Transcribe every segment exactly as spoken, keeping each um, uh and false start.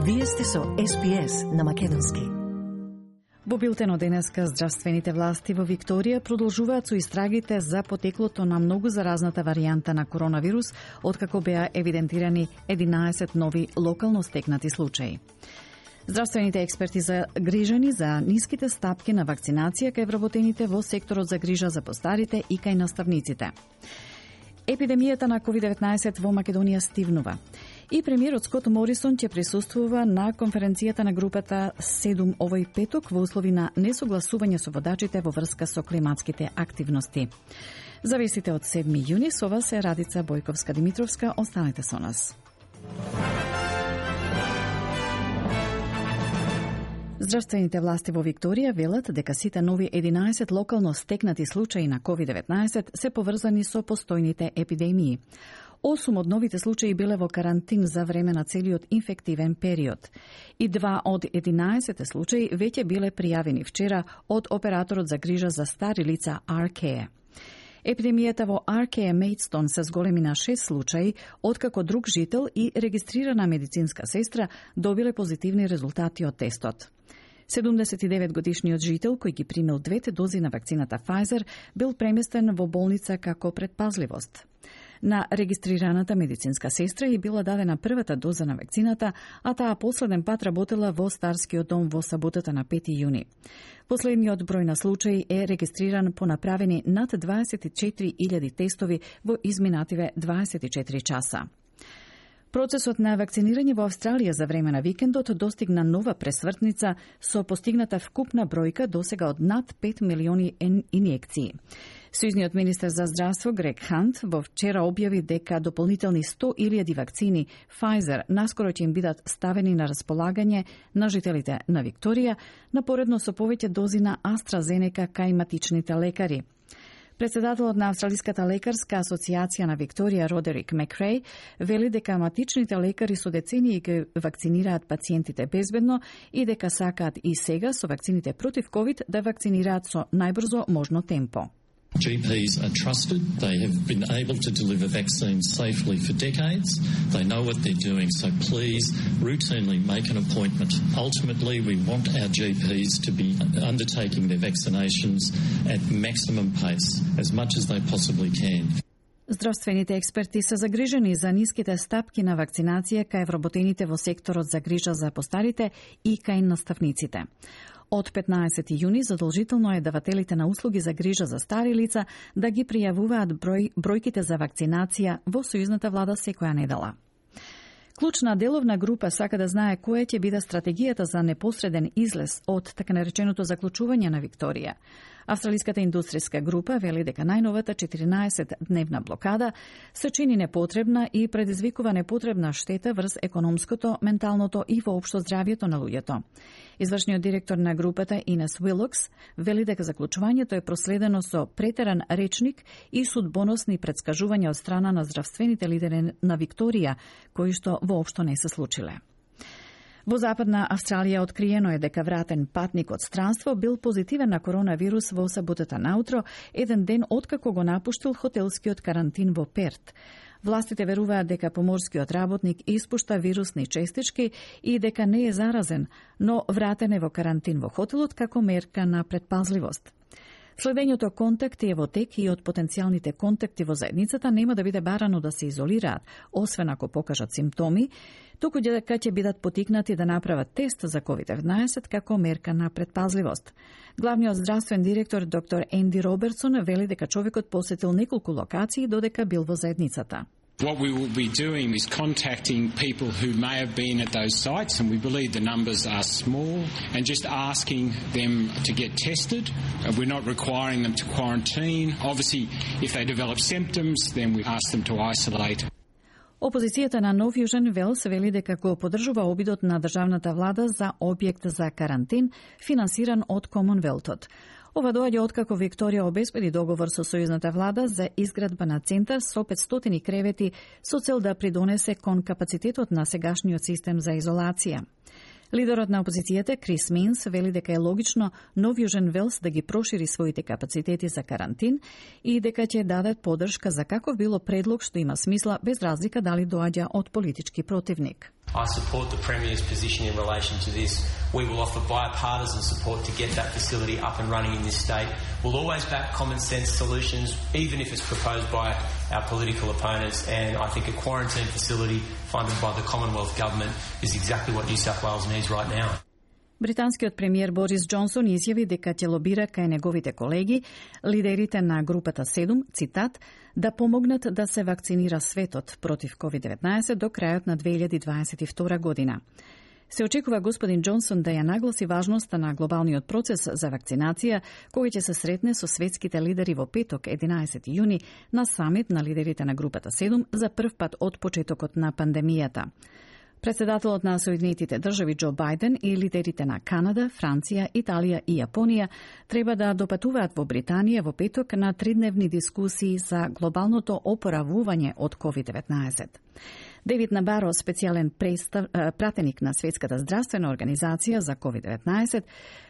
Вие сте со Ес Би Ес на Македонски. Во билтено денеска здравствените власти во Викторија продолжуваат со истрагите за потеклото на многу заразната варијанта на коронавирус, откако беа евидентирани единаесет нови локално стекнати случаи. Здравствените експерти за грижани за ниските стапки на вакцинација кај вработените во секторот за грижа за постарите и кај наставниците. Епидемијата на ковид деветнаесет во Македонија стивнува. И премиерот Скот Морисон ќе присуствува на конференцијата на групата седум овој петок во услови на несогласување со водачите во врска со климатските активности. Зависите од седми јуни, со вас е Радица Бојковска-Димитровска. Останете со нас. Здравствените власти во Викторија велат дека сите нови единаесет локално стекнати случаи на ковид деветнаесет се поврзани со постојните епидемии. Осум од новите случаи биле во карантин за време на целиот инфективен период. И два од единаесет случаи веќе биле пријавени вчера од операторот за грижа за стари лица Arcare. Епидемијата во Arcare Maidstone се зголеми на шест случаи, откако друг жител и регистрирана медицинска сестра добиле позитивни резултати од тестот. седумдесет и девет годишниот жител, кој ги примил двете дози на вакцината Pfizer, бил преместен во болница како предпазливост. На регистрираната медицинска сестра и била дадена првата доза на вакцината, а таа последен пат работела во Старскиот дом во саботата на пети јуни. Последниот број на случаи е регистриран по направени над дваесет и четири илјади тестови во изминативе дваесет и четири часа. Процесот на вакцинирање во Австралија за време на викендот достигна нова пресвртница со постигната вкупна бројка досега од над пет милиони инјекции. Сојузниот министер за здравство Грег Хант во вчера објави дека дополнителни сто илјади вакцини Pfizer наскоро ќе им бидат ставени на располагање на жителите на Викторија, напоредно со повеќе дози на AstraZeneca кај матичните лекари. Председателот на Австралиската лекарска асоциација на Викторија Родерик Макреј вели дека матичните лекари со децении ги вакцинираат пациентите безбедно и дека сакаат и сега со вакцините против ковид да вакцинираат со најбрзо можно темпо. G Ps are trusted. They have been able to deliver vaccines safely for decades. They know what they're doing, so please routinely make an appointment. Ultimately, we want our G Ps to be undertaking their vaccinations at maximum pace, as much as they possibly can. Здравствените експерти се загрижени за ниските стапки на вакцинација кај вработените во секторот за грижа за постарите и кај наставниците. Од петнаесети јуни задолжително е давателите на услуги за грижа за стари лица да ги пријавуваат број, бројките за вакцинација во сојузната влада секоја недела. Клучна деловна група сака да знае која ќе биде стратегијата за непосреден излез од така нареченото заклучување на Викторија. Австралиската индустријска група вели дека најновата четиринаесет-дневна блокада се чини непотребна и предизвикува непотребна штета врз економското, менталното и воопшто здравјето на луѓето. Извршниот директор на групата Инес Уилокс вели дека заклучувањето е проследено со претеран речник и судбоносни претскажувања од страна на здравствените лидери на Викторија, кои што воопшто не се случиле. Во Западна Австралија откриено е дека вратен патник од странство бил позитивен на коронавирус во саботата наутро, еден ден откако го напуштил хотелскиот карантин во Перт. Властите веруваат дека поморскиот работник испушта вирусни честички и дека не е заразен, но вратен е во карантин во хотелот како мерка на предпазливост. Следењето контакти е во тек и од потенцијалните контакти во заедницата нема да биде барано да се изолираат, освен ако покажат симптоми, туку дека ќе бидат потикнати да направат тест за ковид деветнаесет како мерка на предпазливост. Главниот здравствен директор доктор Енди Робертсон вели дека човекот посетил неколку локации додека бил во заедницата. What we will be doing is contacting people who may have been at those sites, and we believe the numbers are small, and just asking them to get tested. We're not requiring them to quarantine. Obviously, if they develop symptoms, then we ask them to isolate. Опозицијата на Нов Јужен Велс вели дека го поддржува обидот на државната влада за објект за карантин, финансиран од Комонвелтот. Ова доаѓа откако Викторија обезбеди договор со сојузната влада за изградба на центар со петстотини кревети со цел да придонесе кон капацитетот на сегашниот систем за изолација. Лидерот на опозицијата Крис Минс вели дека е логично Нов Јужен Велс да ги прошири своите капацитети за карантин и дека ќе дадат поддршка за каков било предлог што има смисла без разлика дали доаѓа од политички противник. I support the Premier's position in relation to this. We will offer bipartisan support to get that facility up and running in this state. We'll always back common sense solutions, even if it's proposed by our political opponents, and I think a quarantine facility funded by the Commonwealth Government is exactly what New South Wales needs right now. Британскиот премиер Борис Џонсон изјави дека ќе лобира кај неговите колеги, лидерите на групата седум, цитат, да помогнат да се вакцинира светот против ковид деветнаесет до крајот на две илјади дваесет и втора година. Се очекува господин Џонсон да ја нагласи важноста на глобалниот процес за вакцинација, кој ќе се сретне со светските лидери во петок, единаесети јуни, на самит на лидерите на групата седум за прв пат од почетокот на пандемијата. Председателот на Соединетите држави Џо Бајден и лидерите на Канада, Франција, Италија и Јапонија треба да допатуваат во Британија во петок на тридневни дискусии за глобалното опоравување од ковид деветнаесет. Девид Набаро, специјален представ, пратеник на Светската здравствена организација за ковид деветнаесет,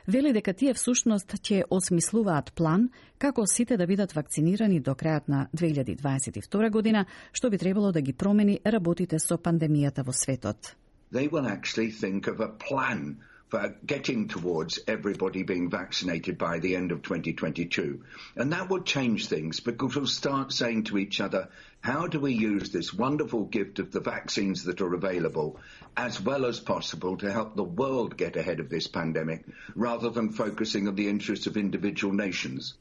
вели дека тие всушност ќе осмислуваат план како сите да бидат вакцинирани до крајот на две илјади дваесет и втора година, што би требало да ги промени работите со пандемијата во светот. They will actually think of a plan for getting towards everybody being vaccinated by the end of twenty twenty-two. And that will change things because we'll start saying to each other, how do we use this wonderful gift of the vaccines that are available as well as possible to help the world get ahead of this pandemic rather than focusing on the interests of individual nations?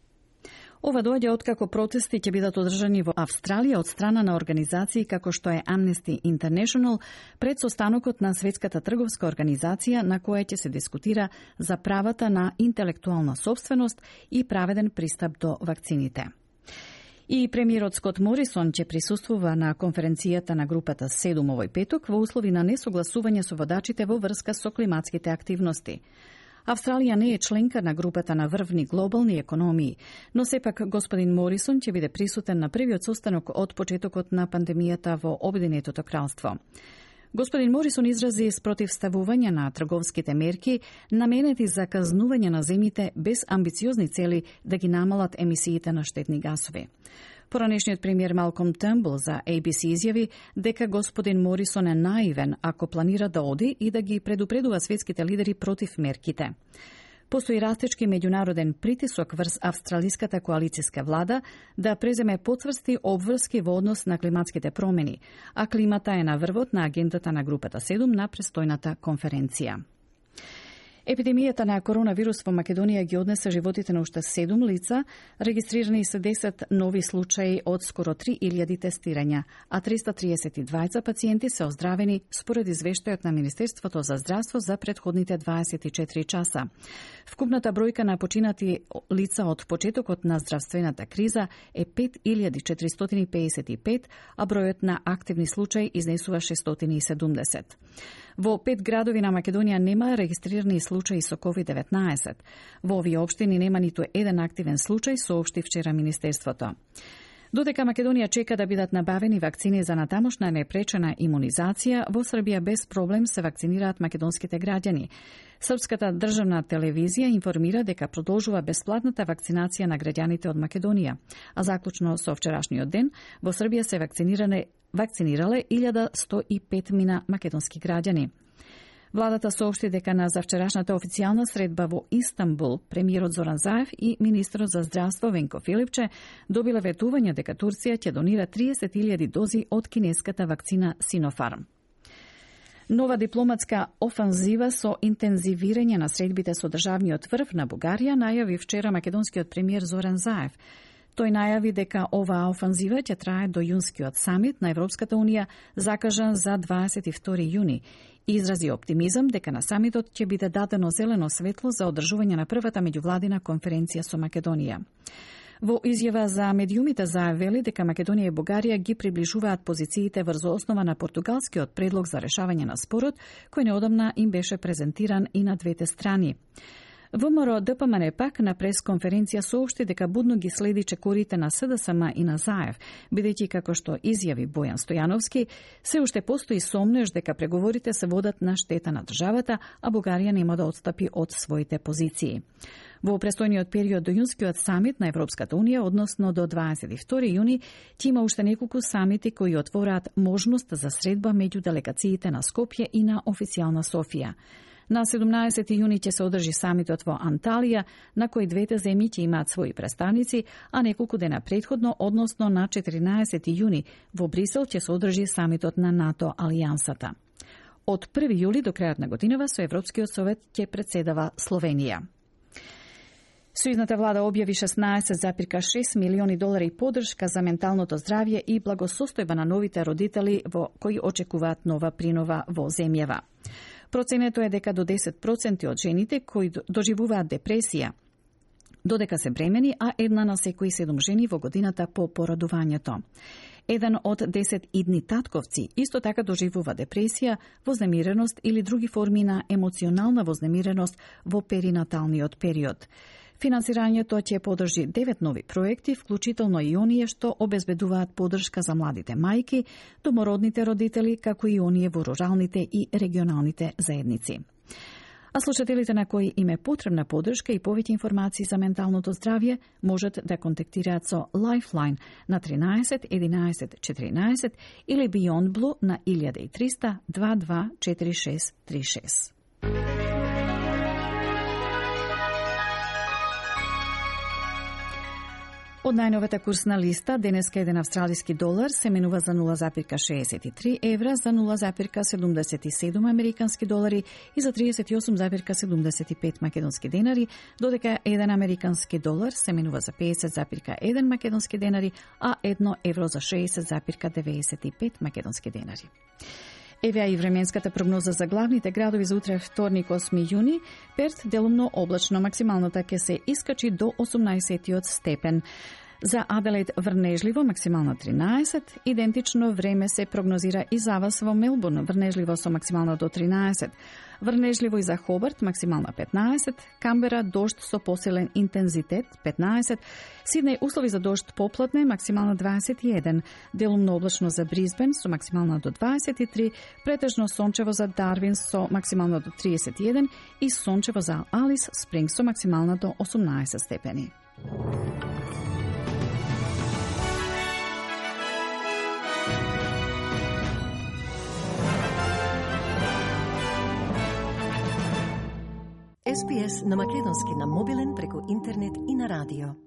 Ова доаѓа откако протести ќе бидат одржани во Австралија од страна на организации како што е Amnesty International пред состанокот на Светската трговска организација на која ќе се дискутира за правата на интелектуална сопственост и праведен пристап до вакцините. И премиерот Скот Морисон ќе присуствува на конференцијата на групата седум овој петок во услови на несогласување со водачите во врска со климатските активности. Австралија не е членка на групата на врвни глобални економии, но сепак господин Морисон ќе биде присутен на првиот состанок од почетокот на пандемијата во Обединетото кралство. Господин Морисон изрази спротивставување на трговските мерки наменети за казнување на земјите без амбициозни цели да ги намалат емисиите на штетни гасови. Поранешниот премиер Малком Търнбул за A B C изјави дека господин Морисон е наивен ако планира да оди и да ги предупредува светските лидери против мерките. Постои растечки меѓународен притисок врз австралиската коалицијска влада да преземе потврсти обврски во однос на климатските промени, а климата е на врвот на агендата на групата седум на престојната конференција. Епидемијата на коронавирус во Македонија ги однесе животите на уште седум лица, регистрирани се десет нови случаи од скоро три илјади тестирања, а триста триесет и двајца пациенти се оздравени според извештајот на Министерството за здравство за претходните дваесет и четири часа. Вкупната бројка на починати лица од почетокот на здравствената криза е пет илјади четиристотини педесет и пет, а бројот на активни случаи изнесува шестстотини и седумдесет. Во пет градови на Македонија нема регистрирани случаи со ковид деветнаесет. Во овие општини нема ниту еден активен случај, соопшти вчера Министерството. Додека Македонија чека да бидат набавени вакцини за натамошна непречена имунизација, во Србија без проблем се вакцинираат македонските граѓани. Српската државна телевизија информира дека продолжува бесплатната вакцинација на граѓаните од Македонија, а заклучно со вчерашниот ден во Србија се вакциниране вакцинирале илјада сто и пет мина македонски граѓани. Владата соопшти дека на завчерашната официјална средба во Истанбул, премиерот Зоран Заев и министерот за здравство Венко Филипче добиле ветување дека Турција ќе донира триесет илјади дози од кинеската вакцина Синофарм. Нова дипломатска офанзива со интензивирање на средбите со државниот врв на Бугарија најави вчера македонскиот премиер Зоран Заев. Тој најави дека оваа офанзива ќе трае до јунскиот самит на Европската унија закажан за дваесет и втори јуни и изрази оптимизам дека на самитот ќе биде дадено зелено светло за одржување на првата меѓувладина конференција со Македонија. Во изјава за медиумите заявили дека Македонија и Бугарија ги приближуваат позициите врз основа на португалскиот предлог за решавање на спорот, кој неодамна им беше презентиран и на двете страни. ВМРО Д П М Н пак на пресконференција соопшти дека будно ги следи чекорите на С Д С М и на Заев, бидејќи како што изјави Бојан Стојановски, се уште постои сомнеж дека преговорите се водат на штета на државата, а Бугарија нема да отстапи од своите позиции. Во престојниот период до јунскиот самит на Европската Унија, односно до дваесет и втори јуни, ќе има уште неколку самити кои отвораат можност за средба меѓу делегациите на Скопје и на официјална Софија. На седумнаесети јуни ќе се одржи самитот во Анталија, на кој двете земји ќе имаат своји представници, а неколку дена претходно, односно на четиринаесети јуни, во Брисел ќе се одржи самитот на НАТО алијансата. Од први јули до крајот на годинава со Европскиот совет ќе председава Словенија. Сојузната влада објави шеснаесет зарез шест милиони долари поддршка за менталното здравје и благосостојба на новите родители во кои очекуваат нова принова во земјава. Проценето е дека до десет проценти од жените кои доживуваат депресија додека се бремени, а една на секои седум жени во годината по породувањето. Еден од десет идни татковци исто така доживува депресија, вознемиреност или други форми на емоционална вознемиреност во перинаталниот период. Финансирањето ќе поддржи девет нови проекти, вклучително и оние што обезбедуваат поддршка за младите мајки, домородните родители, како и оние во руралните и регионалните заедници. А слушателите на кои им е потребна поддршка и повеќе информации за менталното здравје можат да контактираат со Lifeline на тринаесет единаесет четиринаесет или Beyond Blue на илјада и триста дваесет два четири шест три шест. Од најновата курсна листа, денеска еден австралиски долар се менува за нула зарез шеесет и три евра, за нула зарез седумдесет и седум американски долари и за тридесет и осум зарез седумдесет и пет македонски денари, додека еден американски долар се менува за педесет зарез еден македонски денари, а едно евро за шеесет зарез деветдесет и пет македонски денари. Еве и временската прогноза за главните градови за утре вторник осми јуни. Перт делумно облачно, максималната ќе се искачи до осумнаесет степен. За Аделаид врнежливо, максимална тринаесет. Идентично време се прогнозира и за вас во Мелбурн, врнежливо со максимална до тринаесет. Врнежливо и за Хобарт, максимална петнаесет. Камбера, дожд со посилен интензитет, петнаесет. Сиднеј, услови за дожд поплатне, максимална дваесет и еден. Делумно облачно за Брисбен со максимална до дваесет и три. Претежно сончево за Дарвин со максимална до триесет и еден. И сончево за Алис Спринг со максимална до осумнаесет степени. С Б С на македонски на мобилен преку интернет и на радио.